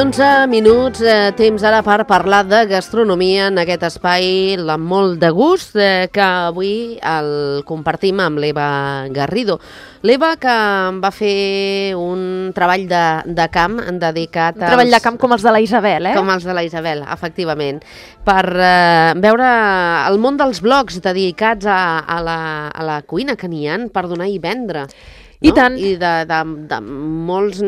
11 minuts, temps ara per parlar de gastronomia en aquest espai amb molt de gust que avui el compartim amb l'Eva Garrido. L'Eva que va fer un treball de camp dedicat un treball de camp com els de la Isabel, Com els de la Isabel, efectivament, per veure el món dels blogs dedicats a la cuina que n'hi ha per donar i vendre. I tant. I de molts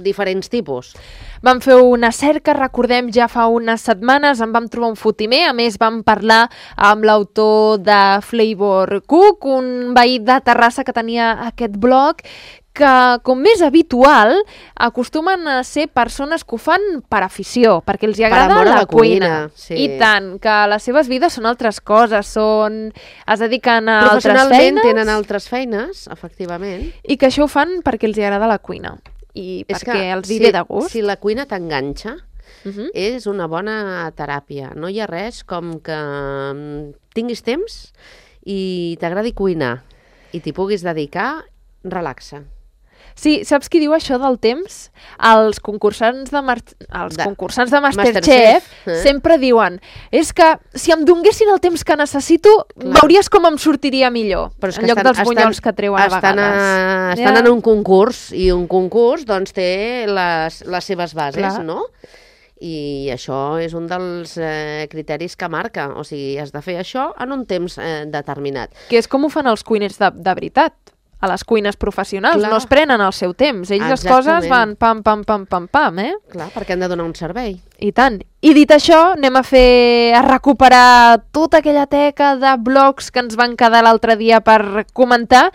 diferents tipus. Vam fer una cerca, recordem, ja fa unes setmanes, en vam trobar un fotimer, a més vam parlar amb l'autor de Flavor Cook, un veí de Terrassa que tenia aquest blog, que, com més habitual, acostumen a ser persones que ho fan per afició, perquè els agrada la cuina. Sí. I tant, que les seves vides són altres coses, es dediquen a altres feines. Professionalment tenen altres feines, efectivament. I que això ho fan perquè els agrada la cuina i perquè els hi ve de gust. Si la cuina t'enganxa, és una bona teràpia. No hi ha res com que tinguis temps i t'agradi cuinar i t'hi puguis dedicar, relaxa. Sí, saps qui diu això del temps? Els concursants de Masterchef sempre diuen és que si em donguessin el temps que necessito, veuries com em sortiria millor, en lloc dels bunyols que treuen a vegades. Estan en un concurs, i un concurs doncs, té les seves bases, no? I això és un dels criteris que marca. O sigui, has de fer això en un temps determinat. Que és com ho fan els cuiners de veritat. A les cuines professionals, no es prenen el seu temps. Ells les coses van pam, pam, pam, pam, pam, Clar, perquè han de donar un servei. I tant. I dit això, anem a recuperar tota aquella teca de blogs que ens van quedar l'altre dia per comentar.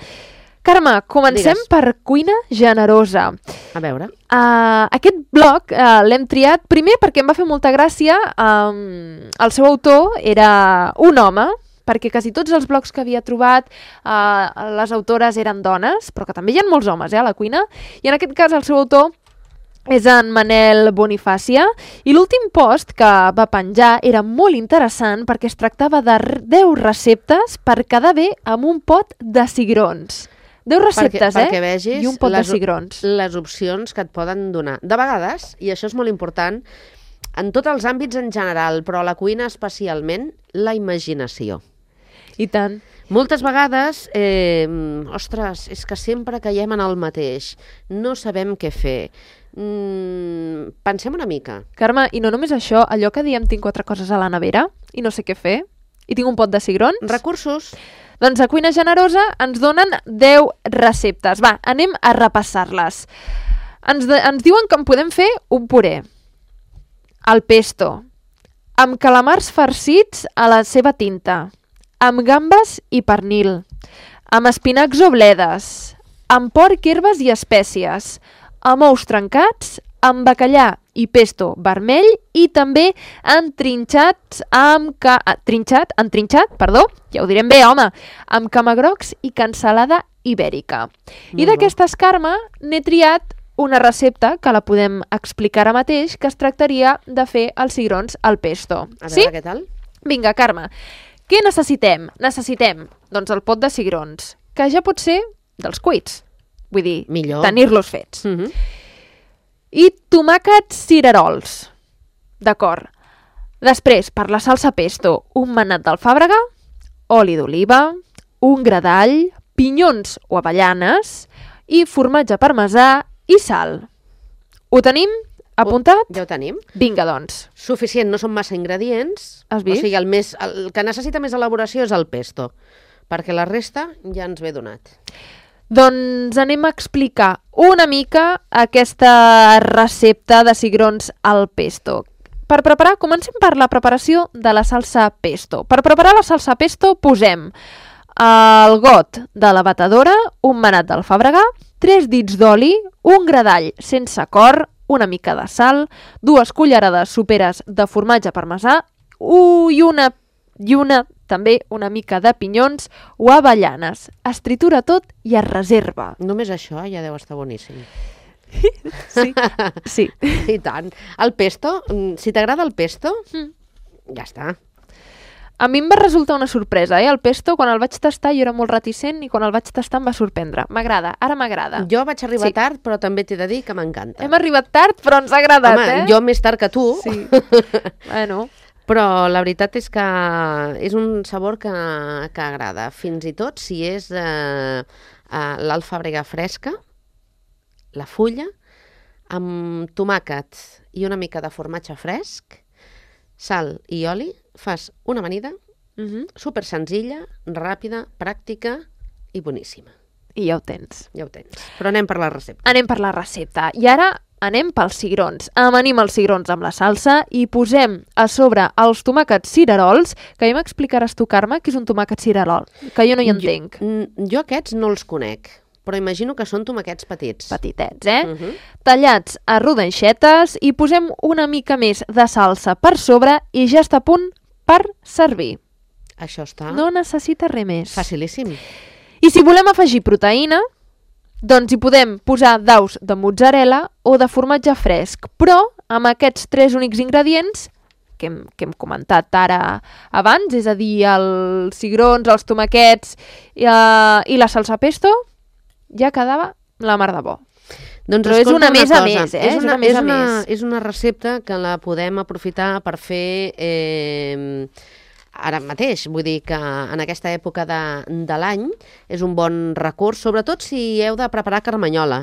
Carme, comencem per Cuina Generosa. A veure. Aquest blog l'hem triat primer perquè em va fer molta gràcia. El seu autor era un home, perquè quasi tots els blogs que havia trobat les autores eren dones, però que també hi ha molts homes a la cuina, i en aquest cas el seu autor és en Manel Bonifàcia, i l'últim post que va penjar era molt interessant perquè es tractava de 10 receptes per quedar bé amb un pot de cigrons. 10 receptes, perquè vegis i un pot de cigrons. Les opcions que et poden donar. De vegades, i això és molt important, en tots els àmbits en general, però a la cuina especialment, la imaginació. I tant. Moltes vegades, ostres, és que sempre caiem en el mateix. No sabem què fer. Pensem una mica. Carme, i no només això, allò que diem tinc 4 coses a la nevera i no sé què fer, i tinc un pot de cigrons. Recursos. Doncs a Cuina Generosa ens donen 10 receptes. Va, anem a repassar-les. Ens diuen que en podem fer un puré, el pesto, amb calamars farcits a la seva tinta, amb gambes i pernil, amb espinacs o bledes, amb porc, herbes i espècies, amb ous trencats, amb bacallà i pesto vermell i també entrinxat, ja ho direm bé, home, amb camagrocs i cansalada ibèrica. I d'aquestes, Carme, n'he triat una recepta que la podem explicar ara mateix, que es tractaria de fer els cigrons al pesto. A veure què tal? Vinga, Carme. Què necessitem? Necessitem, doncs, el pot de cigrons, que ja pot ser dels cuits. Vull dir, tenir-los fets. I tomàquets cirerols. D'acord. Després, per la salsa pesto, un manat d'alfàbrega, oli d'oliva, un gra d'all, pinyons o avellanes i formatge parmesà i sal. Ho tenim? Apuntat? Ja ho tenim. Vinga, doncs. Suficient, no són massa ingredients. Has vist? O sigui, el que necessita més elaboració és el pesto, perquè la resta ja ens ve donat. Doncs anem a explicar una mica aquesta recepta de cigrons al pesto. Comencem per la preparació de la salsa pesto. Per preparar la salsa pesto posem el got de la batedora, un manat d'alfàbrega, 3 dits d'oli, un gra d'all sense cor, una mica de sal, 2 cullerades soperes de formatge parmesà i també una mica de pinyons o avellanes. Es tritura tot i es reserva. Només això ja deu estar boníssim. Sí. I tant. El pesto, si t'agrada el pesto, ja està. A mi em va resultar una sorpresa, el pesto, quan el vaig tastar jo era molt reticent i quan el vaig tastar em va sorprendre. M'agrada, ara m'agrada. Jo vaig arribar tard, però també t'he de dir que m'encanta. Hem arribat tard, però ens ha agradat, Jo més tard que tu. Sí. Bueno. Però la veritat és que és un sabor que agrada, fins i tot si és l'alfàbrega fresca, la fulla, amb tomàquet i una mica de formatge fresc, sal i oli, fas una amanida super senzilla, ràpida, pràctica i boníssima. I ja ho tens. Ja ho tens. Però anem per la recepta. Anem per la recepta. I ara anem pels cigrons. Amanim els cigrons amb la salsa i posem a sobre els tomàquets cirerols, que ja m'explicaràs tu, Carme, què és un tomàquet cirerol, que jo no hi entenc. Jo aquests no els conec, però imagino que són tomàquets petits. Petitets, Tallats a rodanxetes i posem una mica més de salsa per sobre i ja està a punt per servir. Això està... No necessita res més. Facilíssim. I si volem afegir proteïna, doncs hi podem posar daus de mozzarella o de formatge fresc, però amb aquests 3 únics ingredients que hem comentat ara abans, és a dir, els cigrons, els tomàquets i la salsa pesto, ja quedava la mar de bo. Doncs però és una més a més, És una més a més. És una recepta que la podem aprofitar per fer ara mateix. Vull dir que en aquesta època de l'any és un bon recurs, sobretot si heu de preparar carmanyola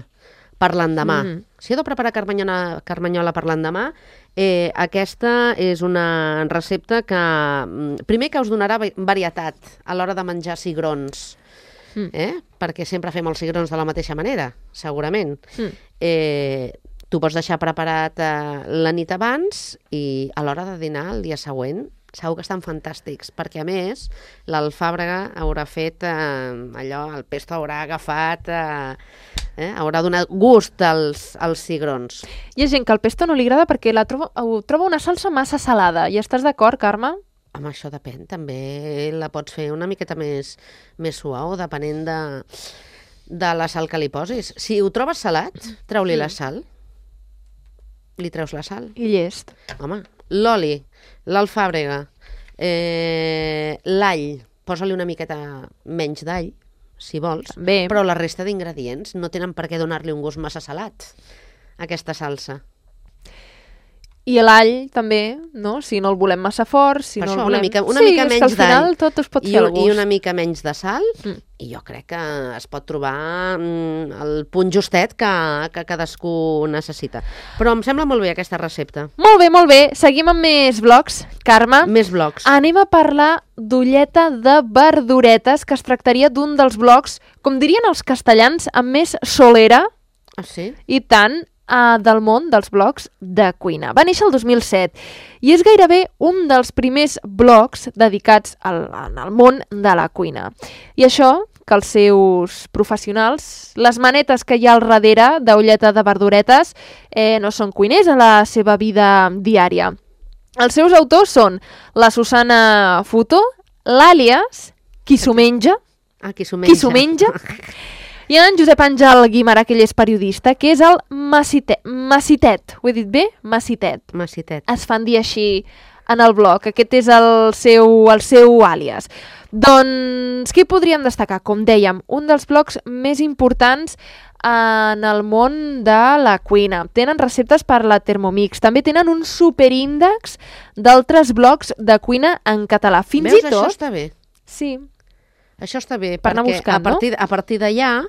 per l'endemà. Si heu de preparar carmanyola per l'endemà, aquesta és una recepta que, primer, que us donarà varietat a l'hora de menjar cigrons, perquè sempre fem els cigrons de la mateixa manera, segurament. Tu pots deixar preparat la nit abans i a l'hora de dinar el dia següent segur que estan fantàstics, perquè a més l'alfàbrega haurà fet allò, el pesto haurà agafat, haurà donat gust als cigrons. Hi ha gent que el pesto no li agrada perquè ho troba una salsa massa salada. I estàs d'acord, Carme? Home, això depèn, també la pots fer una miqueta més suau, depenent de la sal que li posis. Si ho trobes salat, treu-li la sal. Li treus la sal. I llest. Home, l'oli, l'alfàbrega, l'all, posa-li una miqueta menys d'all, si vols, però la resta d'ingredients no tenen per què donar-li un gust massa salat, aquesta salsa. I l'all també, no? Si no el volem massa fort, si no el volem... Una mica menys d'all. Al final tot es pot fer al gust. I una mica menys de sal, i jo crec que es pot trobar el punt justet que cadascú necessita. Però em sembla molt bé aquesta recepta. Molt bé, molt bé. Seguim amb més blocs, Carme. Més blocs. Anem a parlar d'ulleta de verduretes, que es tractaria d'un dels blocs, com dirien els castellans, amb més solera. Ah, sí? I tant, del món dels blogs de cuina. Va néixer el 2007 i és gairebé un dels primers blogs dedicats al món de la cuina. I això, que els seus professionals, les manetes que hi ha al darrere d'ulleta de verduretes, no són cuiners a la seva vida diària. Els seus autors són la Susana Futo, l'àlies, qui s'ho menja, i en Josep Àngel Guimarà, que ell és periodista, que és el Massitet. Ho he dit bé? Massitet. Es fan dir així en el blog. Aquest és el seu àlies. Doncs què podríem destacar? Com dèiem, un dels blogs més importants en el món de la cuina. Tenen receptes per la Thermomix. També tenen un superíndex d'altres blogs de cuina en català. Fins i tot... Això està bé. Sí. Això està bé, perquè a partir d'allà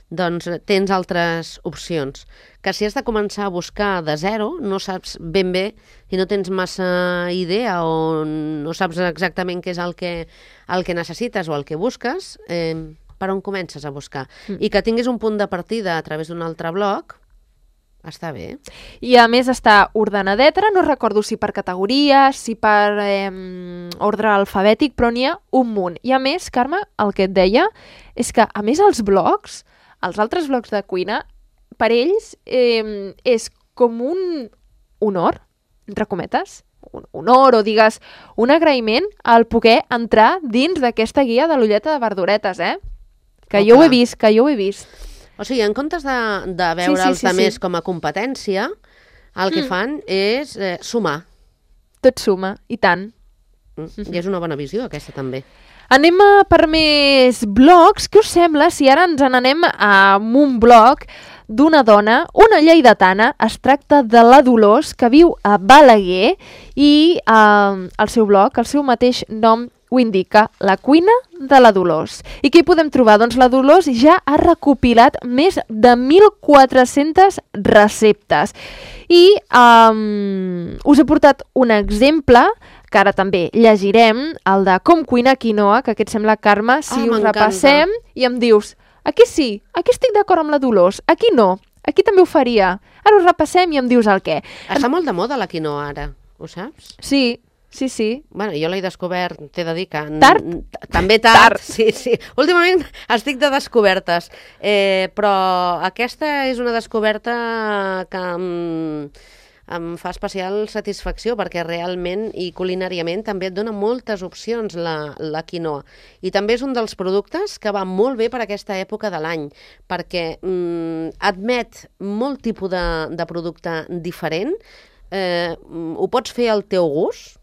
doncs, tens altres opcions. Que si has de començar a buscar de zero, no saps ben bé i no tens massa idea o no saps exactament què és el que necessites o el que busques, per on comences a buscar? I que tinguis un punt de partida a través d'un altre blog, està bé. I a més està ordenadeta, no recordo si per categories, si per ordre alfabètic, però n'hi ha un munt. I a més, Carme, el que et deia és que, a més, els altres blogs de cuina, per ells és com un honor, entre cometes, un honor o digues un agraïment al poder entrar dins d'aquesta guia de l'ulleta de verduretes, Que jo ho he vist. O sigui, en comptes de veure els altres com a competència, el que fan és sumar. Tot suma, i tant. I és una bona visió, aquesta també. Anem per més blogs. Què us sembla si ara ens n'anem a un blog d'una dona, una lleidatana? Es tracta de la Dolors, que viu a Balaguer, i el seu blog, el seu mateix nom ho indica, La cuina de la Dolors. I què hi podem trobar? Doncs la Dolors ja ha recopilat més de 1.400 receptes. I us he portat un exemple, que ara també llegirem, el de com cuinar quinoa, que aquest sembla, Carme, si us repassem i em dius, aquí sí, aquí estic d'acord amb la Dolors, aquí no, aquí també ho faria. Ara ho repassem i em dius el què. Està molt de moda la quinoa ara, ho saps? Sí. Sí. Bueno, jo l'he descobert, t'he de dir que... Tard? També tard. Sí. Últimament estic de descobertes, però aquesta és una descoberta que em fa especial satisfacció, perquè realment i culinàriament també et dona moltes opcions la quinoa. I també és un dels productes que va molt bé per aquesta època de l'any, perquè admet molt tipus de producte diferent, ho pots fer al teu gust,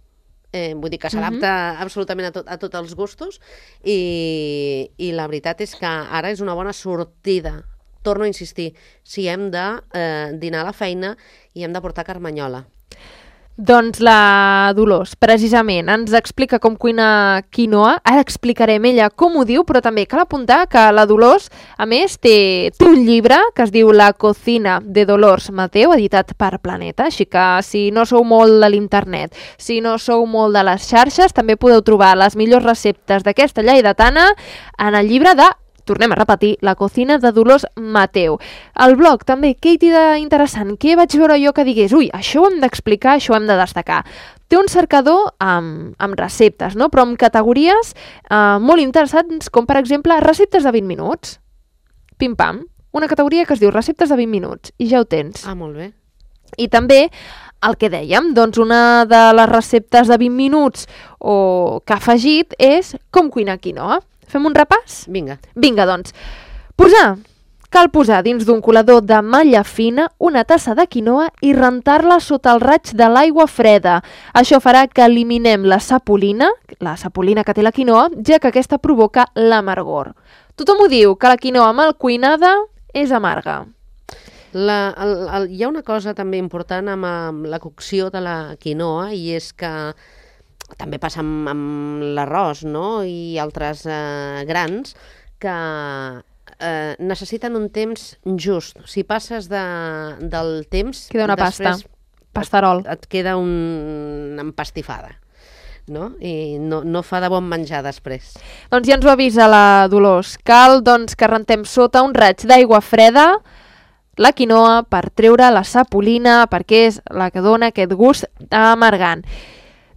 vull dir que s'adapta absolutament a tots els gustos, i la veritat és que ara és una bona sortida. Torno a insistir, si hem de dinar a la feina i hem de portar carmanyola. Doncs la Dolors, precisament, ens explica com cuinar quinoa. Ara explicarem ella com ho diu, però també cal apuntar que la Dolors, a més, té un llibre que es diu La cocina de Dolors Mateu, editat per Planeta, així que si no sou molt de l'internet, si no sou molt de les xarxes, també podeu trobar les millors receptes d'aquesta lleidatana en el llibre de, tornem a repetir, La cocina de Dolors Mateu. El blog també, què hi té d'interessant? Què vaig veure jo que digués, ui, això ho hem d'explicar, això ho hem de destacar? Té un cercador amb receptes, no? Però amb categories molt interessants, com per exemple receptes de 20 minuts. Pim-pam. Una categoria que es diu receptes de 20 minuts, i ja ho tens. Ah, molt bé. I també el que dèiem, doncs una de les receptes de 20 minuts que ha afegit és com cuinar quinoa. Fem un repàs? Vinga, doncs. Cal posar dins d'un colador de malla fina una tassa de quinoa i rentar-la sota el raig de l'aigua freda. Això farà que eliminem la sapolina que té la quinoa, ja que aquesta provoca l'amargor. Tothom ho diu, que la quinoa mal cuinada és amarga. Hi ha una cosa també important amb la cocció de la quinoa, i és que també passa amb l'arròs, no? I altres grans que necessiten un temps just. Si passes del temps... Queda una pasta, pastarol. Et queda una empastifada, no? I no fa de bon menjar després. Doncs ja ens ho avisa la Dolors. Cal doncs, que rentem sota un raig d'aigua freda la quinoa per treure la sapolina, perquè és la que dona aquest gust amargant.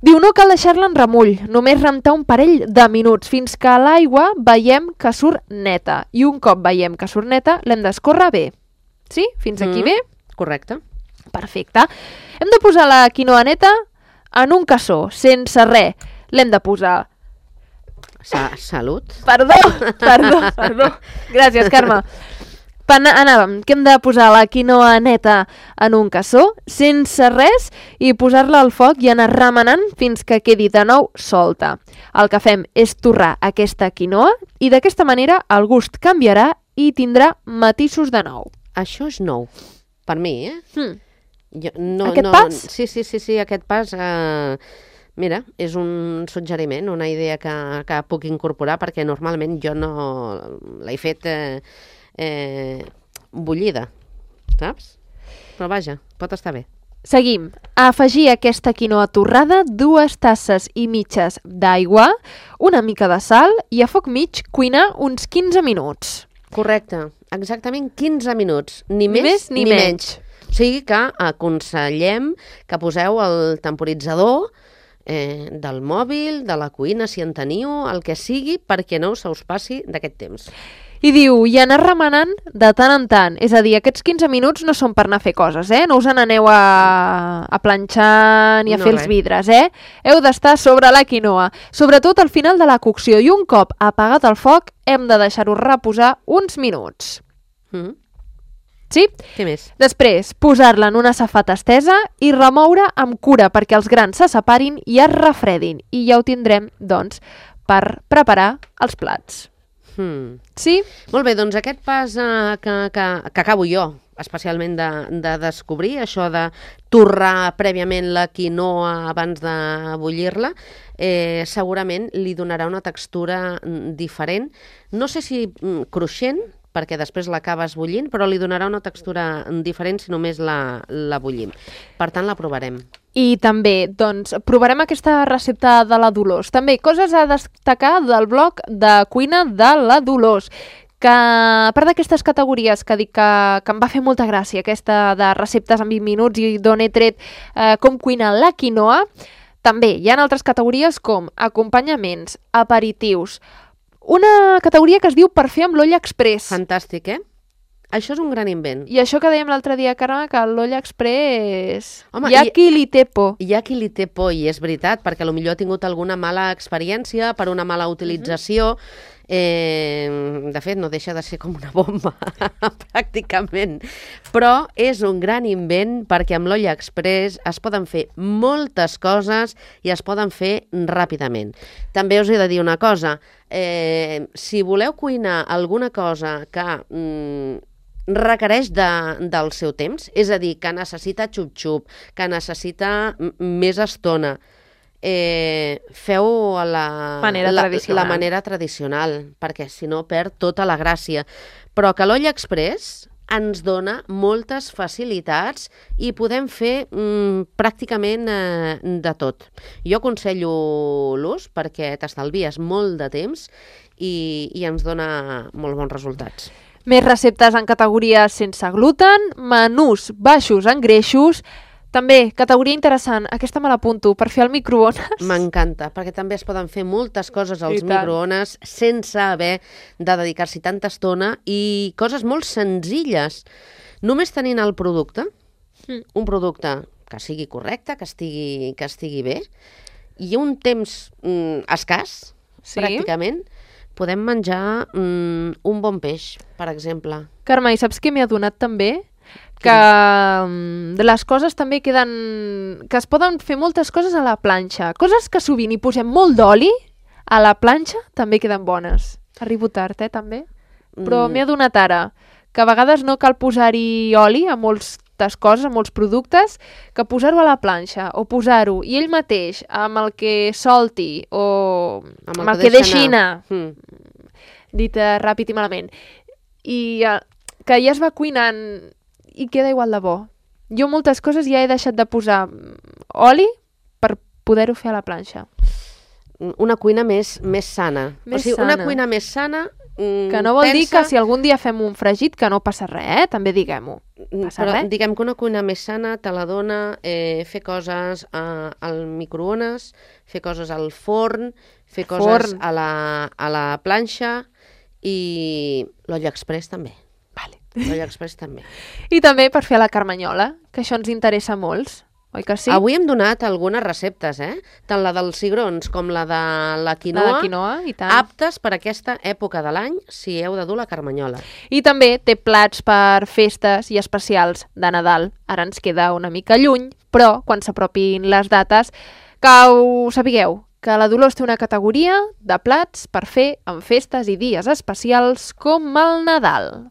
Diu, no cal deixar-la en remull, només rentar un parell de minuts, fins que l'aigua veiem que surt neta. I un cop veiem que surt neta, l'hem d'escórrer bé. Sí? Fins aquí bé? Correcte. Perfecte. Hem de posar la quinoa neta en un cassó, sense res. L'hem de posar... Salut. Perdó. Gràcies, Carme. Anàvem, que hem de posar la quinoa neta en un cassó, sense res, i posar-la al foc i anar remenant fins que quedi de nou solta. El que fem és torrar aquesta quinoa i d'aquesta manera el gust canviarà i tindrà matisos de nou. Això és nou, per mi, Aquest pas? Sí, aquest pas... Mira, és un suggeriment, una idea que puc incorporar, perquè normalment jo no l'he fet... bullida, saps? Però vaja, pot estar bé. Seguim. A afegir aquesta quinoa torrada 2 tasses i mitges d'aigua, una mica de sal i a foc mig cuinar uns 15 minuts. Correcte, exactament 15 minuts, ni més ni menys. O sigui que aconsellem que poseu el temporitzador del mòbil, de la cuina, si en teniu, el que sigui, perquè no se us passi d'aquest temps. I diu, i anar remenant de tant en tant. És a dir, aquests 15 minuts no són per anar a fer coses, No us n'aneu a planxar ni a fer els vidres, Heu d'estar sobre la quinoa, sobretot al final de la cocció, i un cop apagat el foc hem de deixar-ho reposar uns minuts. Sí? Què més? Després, posar-la en una safata estesa i remoure amb cura perquè els grans se separin i es refredin. I ja ho tindrem, doncs, per preparar els plats. Sí? Molt bé, doncs aquest pas que acabo jo, especialment de descobrir, això de torrar prèviament la quinoa abans de bullir-la, segurament li donarà una textura diferent. No sé si cruixent, perquè després l'acabes bullint, però li donarà una textura diferent si només la bullim. Per tant, la provarem. I també, doncs, provarem aquesta recepta de la Dolors. També, coses a destacar del blog de cuina de la Dolors, que a part d'aquestes categories que dic que em va fer molta gràcia, aquesta de receptes en 20 minuts i d'on he tret com cuina la quinoa, també hi ha altres categories com acompanyaments, aperitius, una categoria que es diu per fer amb l'olla express. Fantàstic, Això és un gran invent. I això que dèiem l'altre dia, Carme, que l'olla express... Home, hi ha qui li té por. Hi ha qui li té por, i és veritat, perquè potser ha tingut alguna mala experiència per una mala utilització. De fet, no deixa de ser com una bomba, pràcticament. Però és un gran invent perquè amb l'olla express es poden fer moltes coses i es poden fer ràpidament. També us he de dir una cosa. Si voleu cuinar alguna cosa que requereix del seu temps, és a dir, que necessita xup-xup, que necessita més estona, feu la manera tradicional, perquè si no perd tota la gràcia. Però que l'olla express ens dona moltes facilitats i podem fer pràcticament de tot. Jo aconsello l'ús perquè t'estalvies molt de temps i ens dona molt bons resultats. Més receptes en categories sense gluten, menús baixos en greixos, també, categoria interessant, aquesta me l'apunto, per fer al microones. M'encanta, perquè també es poden fer moltes coses als microones sense haver de dedicar-s'hi tanta estona i coses molt senzilles. Només tenint el producte, un producte que sigui correcte, que estigui bé, i un temps escàs, pràcticament, podem menjar un bon peix, per exemple. Carme, i saps què m'he adonat també? Que les coses també queden... que es poden fer moltes coses a la planxa. Coses que sovint hi posem molt d'oli, a la planxa també queden bones. Arribo tard, també? Però m'he adonat ara que a vegades no cal posar-hi oli a moltes coses, a molts productes, que posar-ho a la planxa o posar-ho i ell mateix amb el que solti o amb el que deixi anar, dit ràpid i malament, i que ja es va cuinant i queda igual de bo. Jo moltes coses ja he deixat de posar oli per poder-ho fer a la planxa. Una cuina més sana. Una cuina més sana... Que no vol dir que si algun dia fem un fregit que no passa res, també diguem-ho. Però diguem que una cuina més sana te la dona fer coses al microones, fer coses al forn, fer coses a la planxa i l'olla express també. L'olla express també. I també per fer la carmanyola, que això ens interessa molts, oi que sí? Avui hem donat algunes receptes, tant la dels cigrons com la de la quinoa, i tant. Aptes per aquesta època de l'any si heu de dur la carmanyola. I també té plats per festes i especials de Nadal. Ara ens queda una mica lluny, però quan s'apropin les dates, que ho sapigueu, que la Dolors té una categoria de plats per fer en festes i dies especials com el Nadal.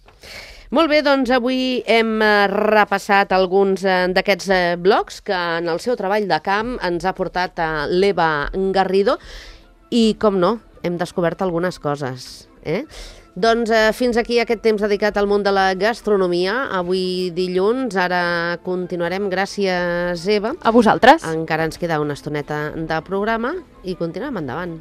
Molt bé, doncs avui hem repassat alguns d'aquests blogs que en el seu treball de camp ens ha portat l'Eva Garrido i, com no, hem descobert algunes coses. Doncs fins aquí aquest temps dedicat al món de la gastronomia. Avui dilluns, ara continuarem. Gràcies, Eva. A vosaltres. Encara ens queda una estoneta de programa i continuem endavant.